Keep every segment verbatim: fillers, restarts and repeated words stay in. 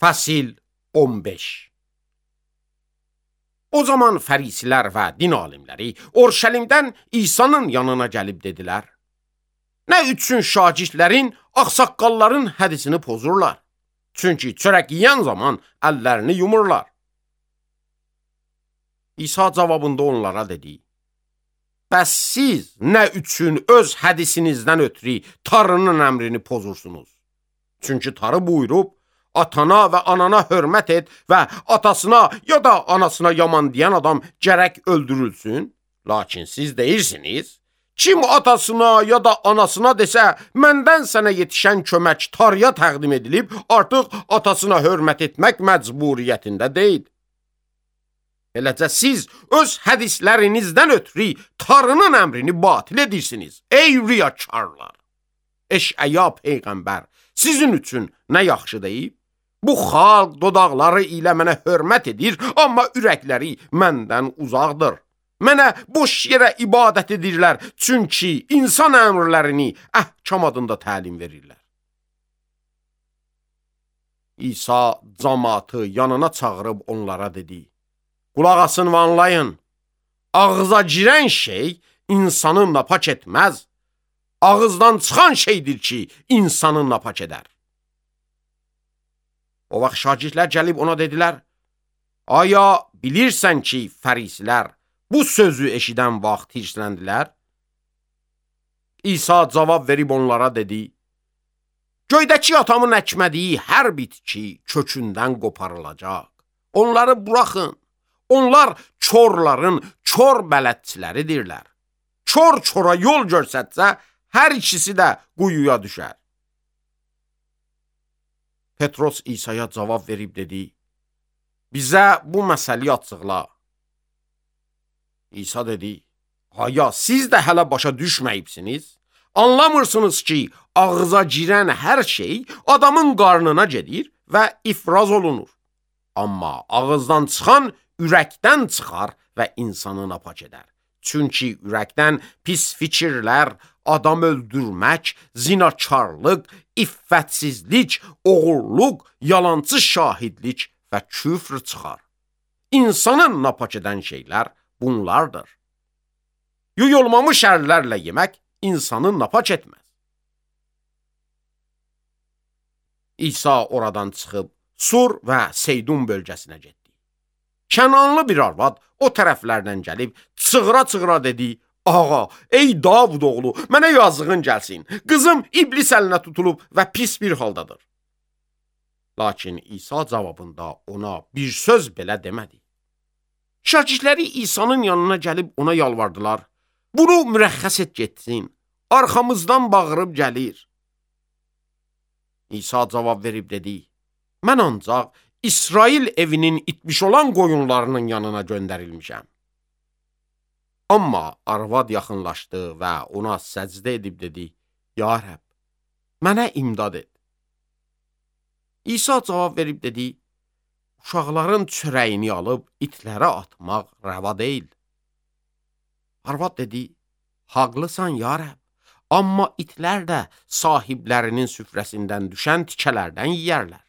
Fəsil on beş. O zaman fərisilər və din alimləri Orşəlimdən İsa'nın yanına gəlib dedilər: Nə üçün şagirdlərin, ağsaqqalların hədisini pozurlar? Çünki çörək yeyən zaman əllərini yumurlar. İsa cavabında onlara dedi: Bəs siz nə üçün öz hədisinizdən ötürü Tanrının əmrini pozursunuz? Çünki Tanrı buyurub, atana və anana hörmət et və atasına ya da anasına yaman deyən adam gərək öldürülsün. Lakin siz deyirsiniz, kim atasına ya da anasına desə, məndən sənə yetişən kömək Tanrıya təqdim edilib, artıq atasına hörmət etmək məcburiyyətində deyil. Eləcə siz öz hədislərinizdən ötürü Tanrının əmrini batil edirsiniz, ey riyakarlar! Eşəya peyğəmbər sizin üçün nə yaxşı deyib? Bu xalq dodaqları ilə mənə hörmət edir, amma ürəkləri məndən uzaqdır. Mənə boş yerə ibadət edirlər, çünki insan əmrlərini əhkam adında təlim verirlər. İsa cəmaatı yanına çağırıb onlara dedi: Qulaq asın və anlayın, ağıza girən şey insanı napak etməz, ağızdan çıxan şeydir ki, insanı napak edər. O vaxt şagirdlər gəlib ona dedilər: Aya bilirsən ki, fərisilər bu sözü eşidən vaxt hirsləndilər? İsa cavab verib onlara dedi: Göydəki atamın əkmədiyi hər bitki kökündən qoparılacaq. Onları buraxın. Onlar çorların çor bələdçiləridirlər. Çor çora yol görsətsə, hər ikisi də quyuya düşər. Petros İsa'ya cavab verib dedi: Bizə bu məsəli açıqla. İsa dedi: Aya siz də hələ başa düşməyibsiniz? Anlamırsınız ki, ağıza girən hər şey adamın qarnına gedir və ifraz olunur. Amma ağızdan çıxan ürəkdən çıxar və insanı napak edər. Çünki ürəkdən pis fikirlər, adam öldürmək, zinakarlıq, iffətsizlik, oğurluq, yalancı şahidlik və küfr çıxar. İnsanı napak edən şeylər bunlardır. Yuyulmamış əllərlə yemək insanı napak etməz. İsa oradan çıxıb Sur və Seydun bölgəsinə getdi. Kənanlı bir arvad o tərəflərdən gəlib çığıra-çığıra dedi: Ağa, ey Davud oğlu, mənə yazığın gəlsin. Qızım iblis əlinə tutulub və pis bir haldadır. Lakin İsa cavabında ona bir söz belə demədi. Şagirdləri İsa'nın yanına gəlib ona yalvardılar: Bunu mürəxxəs et getsin, arxamızdan bağırıb gəlir. İsa cavab verib dedi: Mən ancaq İsrail evinin itmiş olan qoyunlarının yanına göndərilmişəm. Amma arvad yaxınlaşdı və ona səcdə edib dedi: Ya Rəbb, mənə imdad et. İsa cavab verib dedi: Uşaqların çörəyini alıb itlərə atmaq rəva deyil. Arvad dedi: Haqlısan ya Rəbb, amma itlər də sahiblərinin süfrəsindən düşən tikələrdən yeyərlər.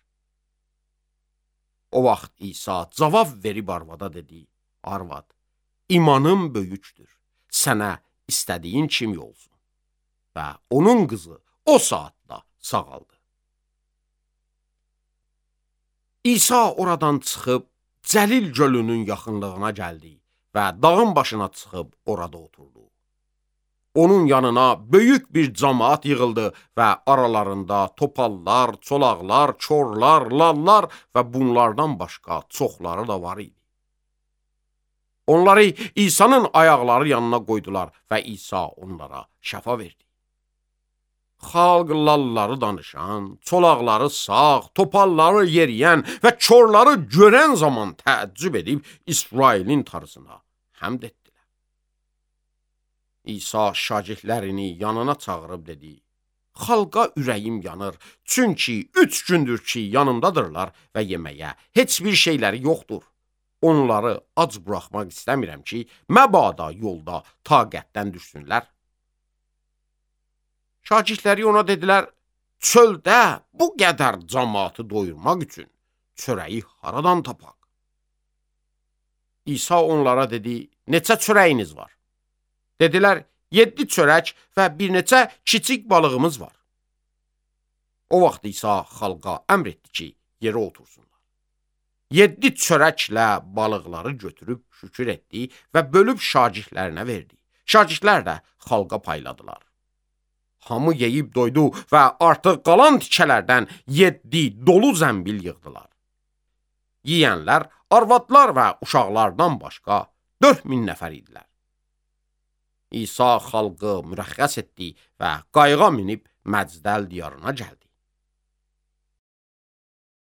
O vaxt İsa cavab verib arvada dedi: Arvad, imanın böyükdür, sənə istədiyin kimi olsun. Və onun qızı o saatda sağaldı. İsa oradan çıxıb Cəlil gölünün yaxınlığına gəldi və dağın başına çıxıb orada oturdu. Onun yanına böyük bir cəmaat yığıldı və aralarında topallar, çolaqlar, çorlar, lallar və bunlardan başqa çoxları da var idi. Onları İsa'nın ayaqları yanına qoydular və İsa onlara şəfa verdi. Xalq lalları danışan, çolaqları sağ, topalları yeriyən və çorları görən zaman təəccüb edib İsrailin Tanrısına həmd etdilər. İsa şagirdlərini yanına çağırıb dedi: Xalqa ürəyim yanır, çünki üç gündür ki yanımdadırlar və yeməyə heç bir şeyləri yoxdur. Onları ac buraxmaq istəmirəm ki, məbada yolda taqətdən düşsünlər. Şagirdləri ona dedilər: Çöldə bu qədər cəmaatı doyurmaq üçün çörəyi haradan tapaq? İsa onlara dedi, neçə çörəyiniz var? Dedilər, yeddi çörək və bir neçə kiçik balığımız var. O vaxt İsa xalqa əmr etdi ki, yerə otursunlar. Yeddi çörəklə balıqları götürüb şükür etdi və bölüb şagirdlərinə verdi. Şagirdlər də xalqa payladılar. Hamı yeyib doydu və artıq qalan tikələrdən yeddi dolu zəmbil yığdılar. Yiyənlər, arvadlar və uşaqlardan başqa dörd min nəfər idilər. İsa xalqı mürəxxəs etdi və qayığa minib Məcdəl diyarına gəldi.